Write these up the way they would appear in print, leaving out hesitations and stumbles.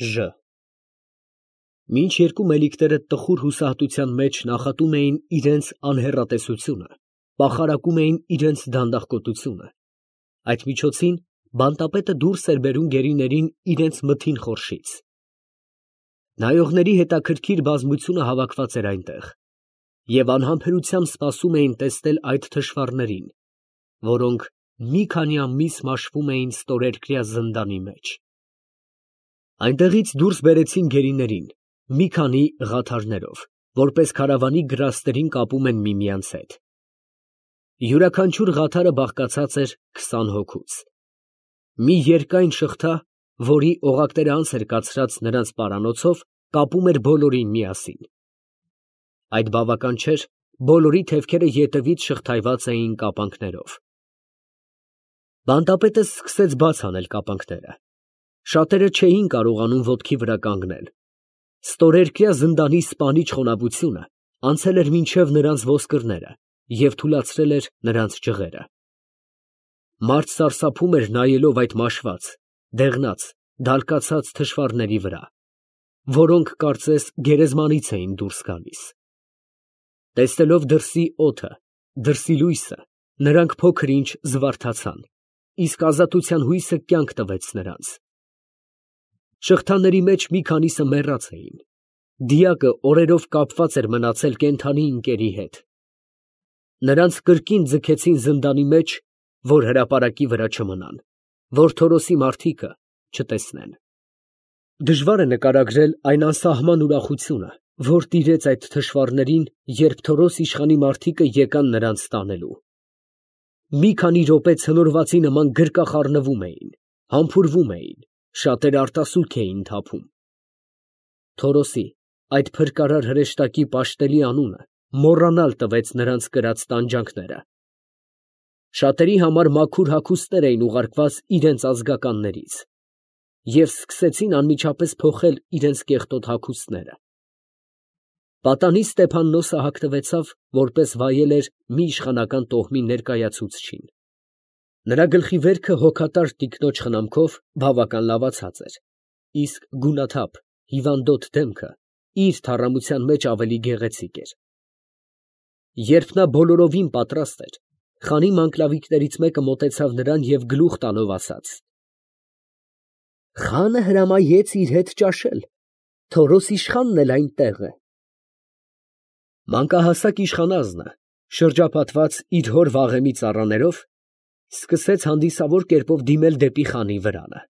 Ժ Մինչ երկու մելիքները տխուր հուսահատության մեջ նախատում էին իրենց անհեռատեսությունը, պախարակում էին իրենց դանդաղկոտությունը, այդ միջոցին բանտապետը դուրս էր բերում գերիներին իրենց մթին խորշից։ Նայողների հետաքրքիր բազմությունը հավաքված էր այնտեղ, և անհամբերությամբ սպասում էին տեսնել այդ թշվառներին, որոնք մի քանի ամիս մաշվում էին ստորերկրյա զնդանի մեջ։ Այնտեղից դուրս բերեցին գերիներին, մի քանի ղաթարներով, որպես քարավանի գրաստերին կապում են միմյանց հետ։ Յուրաքանչյուր ղաթարը բաղկացած էր 20 հոգուց։ Մի երկայն շղթա, որի օղակները անց էր կացրած նրանց պարանոցով, կապում էր բոլորին միասին։ Այդ բավական չէր, բոլորի թևքերը ետևից շղթայված էին կապանքներով։ Բանտապետը սկսեց բաց անել կապանքները։ Շատերը չէին կարողանում ոտքի վրա կանգնել։ Ստորերկրյա զնդանի սպանիչ խոնավությունը անցել էր մինչև նրանց ոսկրները և թուլացրել էր նրանց ջղերը։ Մարդ սարսափում էր նայելով այդ մաշված, դեղնած, դալկացած թշվառների վրա, որոնք կարծես գերեզմանից էին դուրս գալիս։ Տեսնելով դրսի օդը, դրսի լույսը, նրանք փոքր ինչ զվարթացան, իսկ ազատության հույսը կյանք տվեց նրանց։ Շղթաների մեջ մի քանիսը մեռած էին։ Դիակը օրերով կապված էր մնացել կենդանի ընկերի հետ։ Նրանց կրկին ձգեցին զնդանի մեջ, որ հրապարակի վրա չմնան, որ Թորոսի մարդիկը չտեսնեն։ Դժվար է նկարագրել այն անսահման ուրախությունը, որ տիրեց այդ թշվառներին, երբ Թորոս իշխանի մարդիկը եկան նրանց տանելու։ Մի քանի րոպե ցնորվածի նման գրկախառնվում էին, համբուրվում էին, շատերը արտասուք էին թափում։ Թորոսի, այդ փրկարար հրեշտակի պաշտելի անունը մոռանալ տվեց նրանց կրած տանջանքները։ Շատերի համար մաքուր հագուստներ էին ուղարկված իրենց ազգականներից, և սկսեցին անմիջապես փոխել իրենց կեղտոտ հագուստները։ Պատանի Ստեփաննոսը հագնվեցավ, որպես վայել էր մի իշխանական տոհմի ներկայացուցչին։ Նրա գլխի վերքը հոգատար տիկնոջ խնամքով բավական լավացած էր, իսկ գունաթափ, հիվանդոտ դեմքը իր թառամության մեջ ավելի գեղեցիկ էր։ Երբ նա բոլորովին պատրաստ էր, խանի մանկլավիկներից մեկը մոտեցավ նրան և գլուխ տալով ասաց. «Խանը հրամայեց իր հետ ճաշել, Թորոս իշխանն էլ այնտեղ է»։ Մանկահասակ իշխանազնը, շրջապատված իր հոր վաղեմի ծառաներով, սկսեց հանդիսավոր կերպով դիմել դեպի խանի վրանը։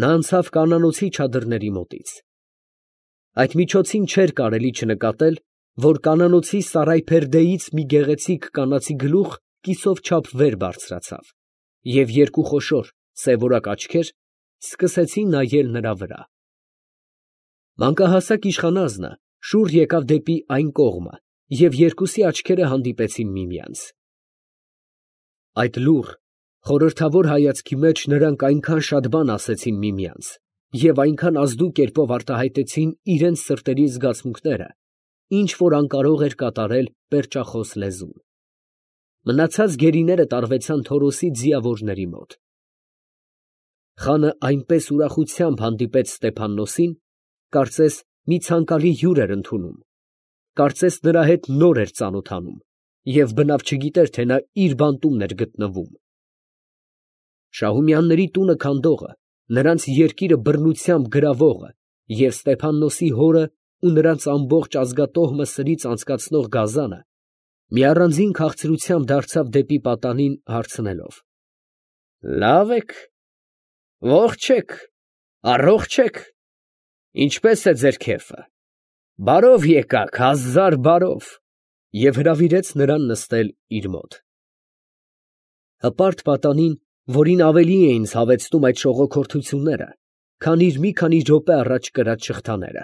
Նա անցավ կանանոցի չադրների մոտից։ Այդ միջոցին չէր կարելի չնկատել, որ կանանոցի սարայփերդեից մի գեղեցիկ կանացի գլուխ կիսով չափ վեր բարձրացավ, և երկու խոշոր սևորակ աչքեր սկսեցին նայել նրա վրա։ Մանկահասակ իշխանազնը շուռ եկավ դեպի այն կողմը, և երկուսի աչքերը հանդիպեցին միմյանց։ Այդ լուռ, խորհրդավոր հայացքի մեջ նրանք այնքան շատ բան ասեցին միմյանց և այնքան ազդու կերպով արտահայտեցին իրենց սրտերի զգացմունքները, ինչ որ անկարող էր կատարել պերճախոս լեզուն։ Մնացած գերիները տարվեցան Թորոսի ձիավորների մոտ։ Խանը այնպես ուրախությամբ հանդիպեց Ստեփաննոսին, կարծես մի ցանկալի հյուր էր ընդունում, կարծես նրա հետ նոր էր ծանոթանում, և բնավ չգիտեր, թե նա իր բանտումն էր գտնվում։ Շահումյանների տունը քանդողը, նրանց երկիրը բռնությամբ գրավողը և Ստեփաննոսի հորը ու նրանց ամբողջ ազգատոհմը սրից անցկացնող գազանը մի առանձին քաղցրությամբ դարձավ դեպի պատանին հարցնելով. «Լա՞վ եք, ո՞ղջ եք, առողջ եք, ինչպե՞ս է ձեր քեֆը, բարով եկաք, հազար բարով», և հրավիրեց նրան նստել իր մոտ։ Հպարտ պատանին, որին ավելի էին ցավեցնում այդ շողոքորթությունները, քան իր մի քանի րոպե առաջ կրած շղթաները,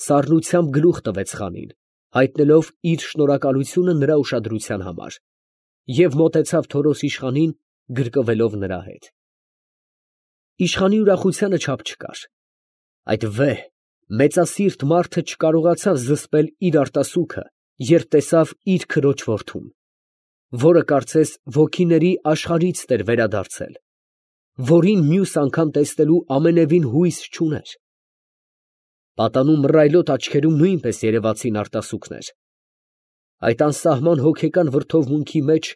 սառնությամբ գլուխ տվեց խանին, հայտնելով իր շնորհակալությունը նրա ուշադրության համար, և մոտեցավ Թորոս իշխանին, գրկվելով նրա հետ։ Իշխանի ուրախությանը չափ չկար։ Այդ վեհ, մեծասիրտ մարդը չկարողացավ զսպել իր արտասուքը, երբ տեսավ իր քրոջ որդուն, որը կարծես ոգիների աշխարհից էր վերադարձել, որին մյուս անգամ տեսնելու ամենևին հույս չուներ, Պատանու մռայլոտ աչքերում նույնպես երևացին արտասուքներ։ Այդ անսահման հոգեկան վրդովմունքի մեջ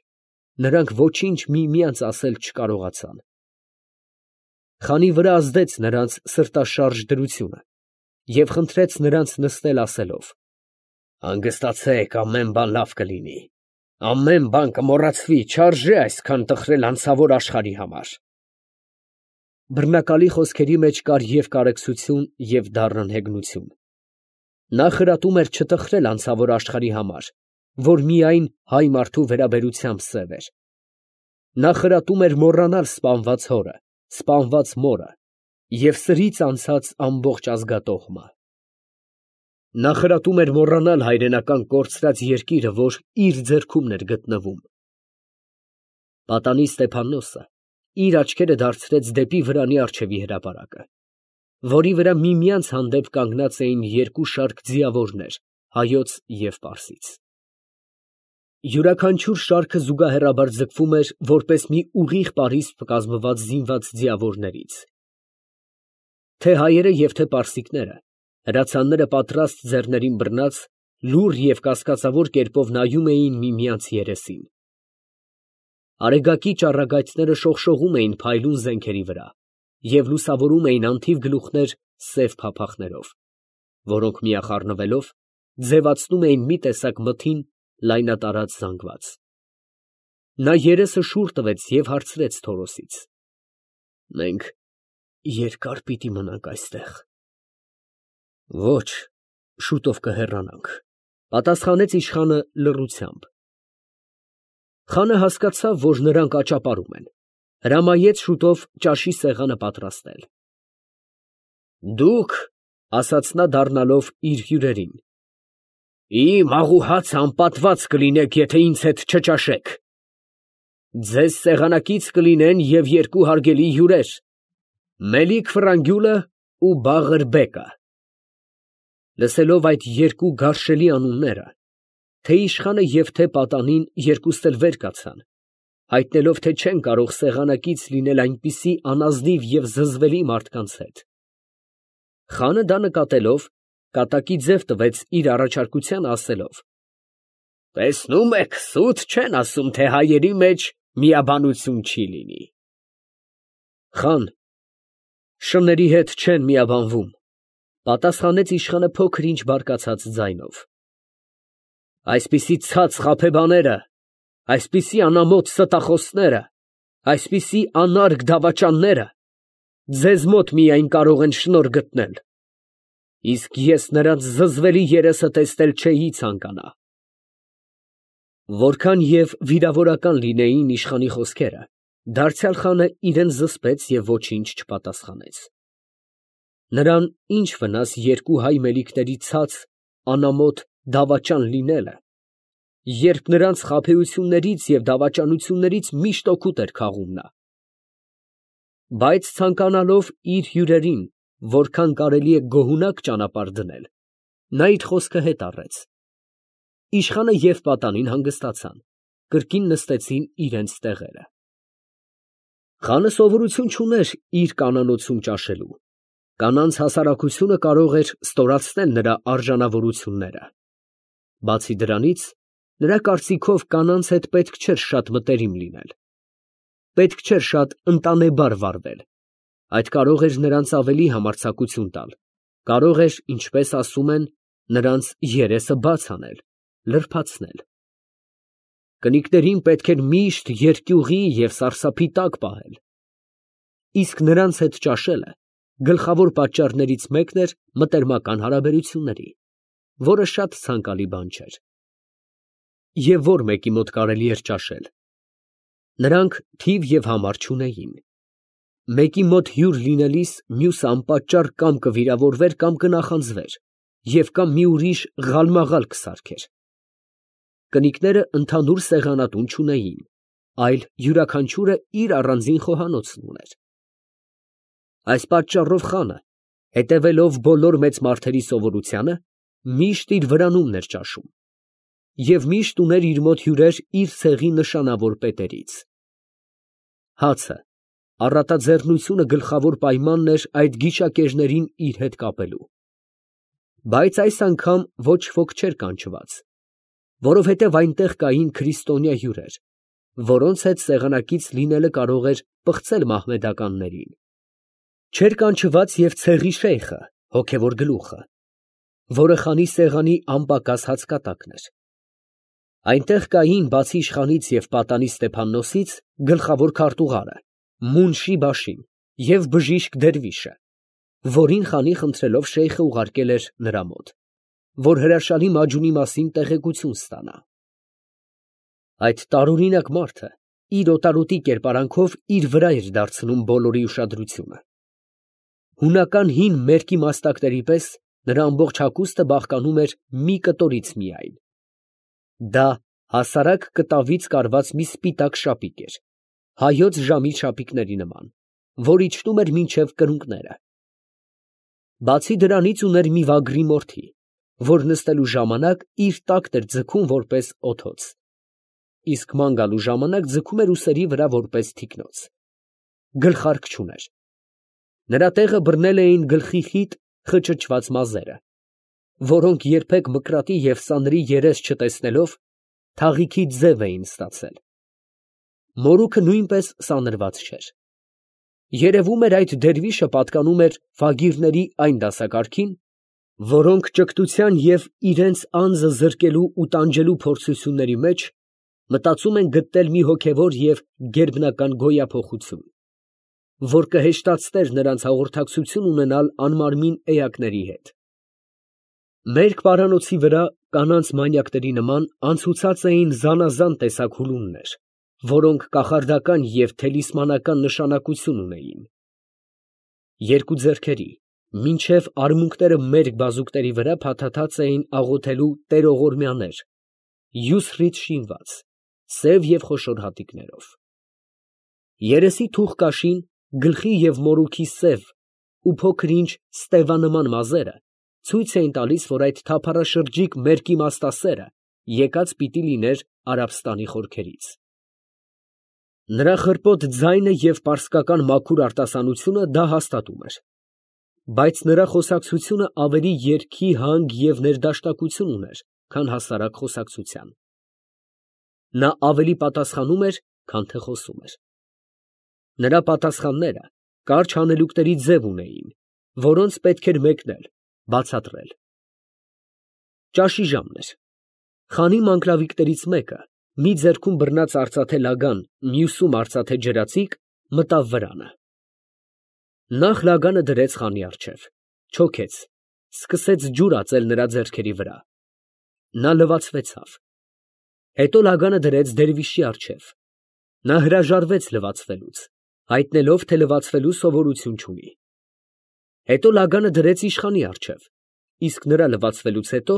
նրանք ոչինչ միմյանց ասել չկարողացան։ Խանի վրա ազդեց նրանց սրտաշարժ դրությունը և խնդրեց նրանց նստել ասելով. «Հանգստացեք, ամեն բան լավ կլինի, ամեն բան կմոռացվի, չարժե այսքան տխրել անցավոր աշխարհի համար»։ Բռնակալի խոսքերի մեջ կար և կարեկցություն, և դառն հեգնություն։ Նա խրատում էր չտխրել անցավոր աշխարհի համար, որ միայն հայ մարդու վերաբերությամբ սև էր։ Նա խրատում էր մոռանալ սպանված հորը, սպանված մորը և սրից անցած ամբողջ ազգատոհմը։ Նա խրատում էր մոռանալ հայրենական կորցրած երկիրը, որ իր ձեռքումն էր գտնվում։ Պատանի Ստեփաննոսը իր աչքերը դարձրեց դեպի վրանի առջևի հրապարակը, որի վրա միմյանց հանդեպ կանգնած էին երկու շարք ձիավորներ հայոց և պարսից։ Յուրաքանչյուր շարքը զուգահեռաբար ձգվում էր որպես մի ուղիղ պարիսպ կազմված զինված ձիավորներից։ Թե հայերը և թե պարսիկները, հրացանները պատրաստ ձեռներին բռնած, լուռ և կասկածավոր կերպով նայում էին միմյանց երեսին։ Արեգակի ճառագայթները շողշողում էին փայլուն զենքերի վրա և լուսավորում էին անթիվ գլուխներ սև փափախներով, որոնք միախառնվելով ձևացնում էին մի տեսակ մթին լայնատարած զանգված։ Նա երեսը շուռ տվեց և հարցրեց Թորոսից. «Մենք երկա՞ր պիտի մնանք այստեղ»։ «Ոչ, շուտով կհեռանանք», ֊ պատասխանեց իշխանը լռությամբ։ Խանը հասկացավ, որ նրանք աճապարում են, հրամայեց շուտով ճաշի սեղանը պատրաստել։ «Դուք, ֊ ասաց նա դառնալով իր հյուրերին, ֊ իմ աղու հացը անպատված կլինեք, եթե ինձ հետ չճաշեք։ Ձեզ սեղանակից կլինեն և երկու հարգելի հյուրեր՝ Մելիք Ֆրանգյուլը ու Բաղըր֊բեկը»։ Լսելով այդ երկու գարշելի անունները, թե իշխանը և թե պատանին երկուստ էլ վեր կացան, հայտնելով, թե չեն կարող սեղանակից լինել այնպիսի անազնիվ և զզվելի մարդկանց հետ։ Խանը դա նկատելով, կատակի ձև տվեց իր առաջարկությանը, ասելով. «Տեսնում եք, սուտ չեն ասում, թե հայերի մեջ միաբանություն չի լինի»։ «Խան, շների հետ չեն միաբանվում», ֊ պատասխանեց իշխանը փոքր ինչ բարկացած ձայնով։ «Այսպիսի ցած խաբեբաները, այսպիսի անամոթ ստախոսները, այսպիսի անարգ դավաճանները ձեզ մոտ միայն կարող են շնորհ գտնել, իսկ ես նրանց զզվելի երեսը տեսնել չէի ցանկանա»։ Որքան և վիրավորական լինեին իշխանի խոսքերը, դարձյալ խանը իրան զսպեց և ոչինչ չպատասխանեց։ Նրան ի՞նչ վնաս երկու հայ մելիքների ցած, անամոթ դավաճան լինելը, երբ նրանց խաբեություններից և դավաճանություններից միշտ օգուտ էր քաղում նա։ Բայց ցանկանալով իր հյուրերին որքան կարելի է գոհունակ ճանապարհ դնել, նա իր խոսքը հետ առեց։ Իշխանը և պատանին հանգստացան, կրկին նստեցին իրենց տեղերը։ Խանը սովորություն չուներ իր կանանոցում ճաշելու, կանանց հասարակությունը կարող էր ստորացնել նրա արժանավորությունները։ Բացի դրանից, նրա կարծիքով կանանց հետ պետք չէր շատ մտերիմ լինել, պետք չէր շատ ընտանեբար վարվել, այդ կարող էր նրանց ավելի համարձակություն տալ, կարող էր, ինչպես ասում են, նրանց երեսը բաց անել, լրբացնել։ Կնիկներին պետք էր միշտ երկյուղի և սարսափի տակ պահել։ Իսկ նրանց հետ ճաշելը գլխավոր պատճառներից մեկն էր մտերմական հարաբերությունների, որը շատ ցանկալի բան չէր։ Եվ ո՞ր մեկի մոտ կարելի էր ճաշել։ Նրանք թիվ և համար չունեին։ Մեկի մոտ հյուր լինելիս մյուսը անպատճառ կամ կվիրավորվեր, կամ կնախանձվեր, և կամ մի ուրիշ ղալմաղալ կսարքեր։ Կնիկները ընդհանուր սեղանատուն չունեին, այլ յուրաքանչյուրը իր առանձին խոհանոցն ուներ։ Այս պատճառով խանը, հետևելով բոլոր մեծ մարդերի սովորությանը, միշտ իր վրանումն էր ճաշում և միշտ ուներ իր մոտ հյուրեր իր ցեղի նշանավոր պետերից։ Հացը, առատաձեռնությունը գլխավոր պայմանն էր այդ գիշակերներին իր հետ կապելու։ Բայց այս անգամ ոչ ոք չէր կանչված, որովհետև այնտեղ կային քրիստոնյա հյուրեր, որոնց հետ սեղանակից լինելը կարող էր պղծել մահմեդականներին։ Չէր կանչված և ցեղի շեյխը, հոգևոր գլուխը, որը խանի սեղանի անպակաս հացկատակն էր։ Այնտեղ կային, բացի իշխանից և պատանի Ստեփաննոսից, գլխավոր քարտուղարը, Մունշի Բաշին և բժիշկ դերվիշը, որին խանի խնդրելով շեյխը ուղարկել էր նրա մոտ, որ հրաշալի Մաջնունի մասին տեղեկություն ստանա։ Այդ տարօրինակ մարդը իր օտարոտի կերպարանքով իր վրա էր դարձնում բոլորի ուշադրությունը։ Հունական հին մերկի մաստակների պես նրա ամբողջ հագուստը բաղկանում էր մի կտորից միայն։ Դա հասարակ կտավից կարված մի սպիտակ շապիկ էր, հայոց ժամի շապիկների նման, որ իջնում էր մինչև կրունկները։ Բացի դրանից ուներ մի վագրի մորթի, որ նստելու ժամանակ իր տակն էր ձգում որպես օդոց, իսկ ման գալու ժամանակ ձգում էր ուսերի վրա որպես թիկնոց։ Գլխարկ չուներ։ Նրա տեղը բռնել էին գլխի խիտ խճճված մազերը, որոնք երբեք մկրատի և սանրի երես չտեսնելով, թաղիքի ձև էին ստացել։ Մորուքը նույնպես սանրված չէր։ Երևում էր, այդ դերվիշը պատկանում էր ֆագիրների այն դասակարգին, որոնք ճգտության և իրենց անձը զրկելու ու տանջելու փորձությունների մեջ մտածում են գտնել մի հոգևոր և գերբնական գոյափոխություն, որ կհեշտացներ նրանց հաղորդակցություն ունենալ անմարմին էակների հետ։ Մերկ պարանոցի վրա կանանց մանյակների նման անցուցած էին զանազան տեսակ հուլումներ, որոնք կախարդական և թելիսմանական նշանակություն ունեին։ Երկու ձեռքերի, մինչև արմունկները մերկ բազուկների վրա փաթաթած էին աղոթելու տերողորմյաներ, յուսրից շինված, սև և խոշոր հատիկներով։ Երեսի թուղկաշին, գլխի և մորուքի սև ու փոքր-ինչ ստևանման մազերը ցույց էին տալիս, որ այդ թափառաշրջիկ մերկ իմաստասերը եկած պիտի լիներ Արաբստանի խորքերից։ Նրա խռպոտ ձայնը և պարսկական մաքուր արտասանությունը դա հաստատում էր, բայց նրա խոսակցությունը ավելի երգի հանգ և ներդաշնակություն ուներ, քան հասարակ խոսակցության։ Նա ավելի պատասխանում էր, քան թե խոսում էր։ Նրա պատասխանները կարճ հանելուկների ձև ունեին, որոնց պետք էր մեկնել, բացատրել։ Ճաշի ժամն էր։ Խանի մանկլավիկներից մեկը, մի ձեռքում բռնած արծաթե լագան, մյուսում արծաթե ջրածիկ, մտավ վրանը։ Նախ լագանը դրեց խանի առջև, չոքեց, սկսեց ջուր ածել նրա ձեռքերի վրա։ Նա լվացվեցավ։ Հետո լագանը դրեց դերվիշի առջև։ Նա հրաժարվեց լվացվելուց, հայտնելով, թե լվացվելու սովորություն չունի։ Հետո լագանը դրեց իշխանի առջև, իսկ նրա լվացվելուց հետո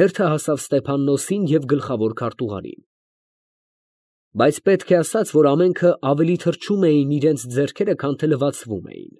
հերթը հասավ Ստեփաննոսին և գլխավոր քարտուղարին։ Բայց պետք է ասած, որ ամենքը ավելի թրջում էին իրենց ձեռքերը, քան թե լվացվում էին։